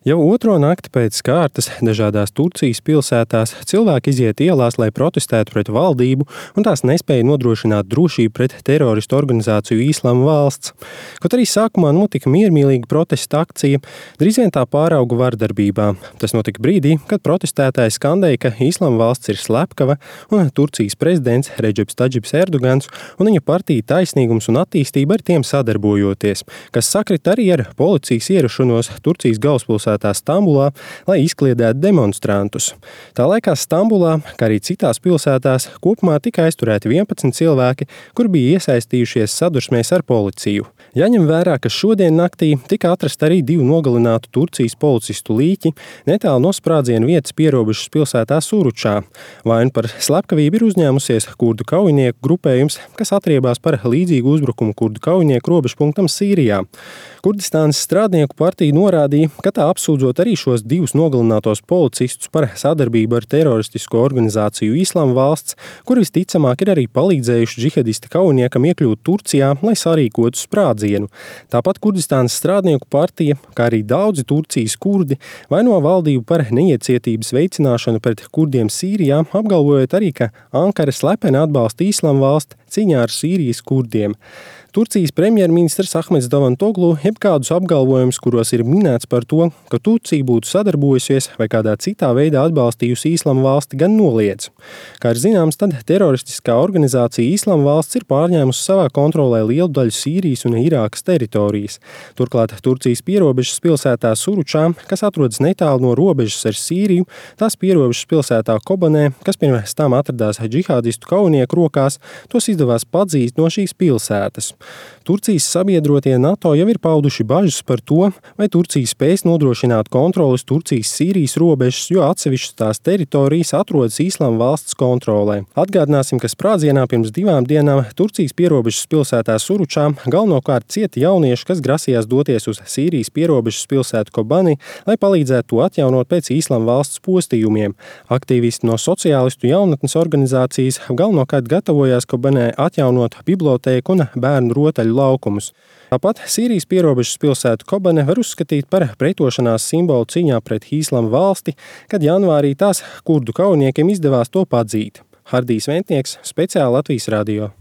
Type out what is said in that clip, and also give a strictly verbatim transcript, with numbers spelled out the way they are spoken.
Jau otro nakti pēc kārtas dažādās Turcijas pilsētās cilvēki iziet ielās, lai protestētu pret valdību un tās nespēja nodrošināt drošību pret teroristu organizāciju Islama valsts. Kaut arī sākumā notika miermīlīga protesta akcija, drīz vien tā pārauga vardarbībā. Tas notika brīdī, kad protestētāji skandēja, ka Islama valsts ir slepkava un Turcijas prezidents Redžeps Tadžips Erdogans un viņa partija Taisnīgums un attīstība ar tiem sadarbojoties, kas sakrit arī ar policijas ierašanos Turcijas galvaspilsētā Stambulā, lai izkliedētu demonstrantus. Tā laikā Stambulā, kā arī citās pilsētās, kopumā tika aizturēti vienpadsmit cilvēki, kur bija iesaistījušies sadursmēs ar policiju. Jāņem vērā, ka šodien naktī tika atrast arī divu nogalinātu Turcijas policistu līķi netālu no sprādziena vietas pierobežas pilsētā Suručā. Vainu par slepkavību ir uzņēmusies kurdu kaujinieku grupējums, kas atriebās par līdzīgu uzbrukumu kurdu kaujinieku robežpunktam Sīrijā. Kurdistānas strādnieku partija norādīja, ka tā apsūdzot arī šos divus nogalinātos policistus par sadarbību ar teroristisko organizāciju Islama valsts, kur visticamāk ir arī palīdzējuši džihadista kaujiniekam iekļūt Turcijā, lai sarīkotu sprādzienu. Tāpat Kurdistānas strādnieku partija, kā arī daudzi Turcijas kurdi, vaino valdību par neiecietības veicināšanu pret kurdiem Sīrijā, apgalvojot arī, ka Ankara slepeni atbalsta Islama valsti cīņā ar Sīrijas kurdiem. Turcijas premjerministrs Ahmeds Davutoglu jebkādus apgalvojumus, kuros ir minēts par to, ka Turcija būtu sadarbojusies vai kādā citā veidā atbalstījusi Islama valsti, gan noliedz. Kā ir zināms, tad teroristiskā organizācija Islama valsts ir pārņēmusi savā kontrolē lielu daļu Sīrijas un Irākas teritorijas. Turklāt Turcijas pierobežas pilsētā Suručā, kas atrodas netālu no robežas ar Sīriju, tās pierobežas pilsētā Kobanē, kas pirms tam atradās džihādistu kaujinieku rokās, tos izdevās padzīt no šīs pilsētas. Turcijas sabiedrotie NATO jau ir pauduši bažas par to, vai Turcija spēs nodrošināt kontroles Turcijas-Sīrijas robežas, jo atsevišķas tās teritorijas atrodas Islama valsts kontrolē. Atgādināsim, ka sprādzienā pirms divām dienām Turcijas pierobežas pilsētā Suručā galvenokārt cieta jaunieši, kas grasījās doties uz Sīrijas pierobežas pilsētu Kobani, lai palīdzētu to atjaunot pēc Islama valsts postījumiem. Aktīvisti no sociālistu jaunatnes organizācijas galvenokārt gatavojās Kobanē atjaunot bibliotēku un bērnu rotaļu laukumus. Tāpat Sīrijas pierobežas pilsētu Kobane var uzskatīt par pretošanās simbolu cīņā pret Islama valsti, kad janvārī tās kurdu kaujiniekiem izdevās to padzīt. Hardijs Ventnieks, speciāli Latvijas radio.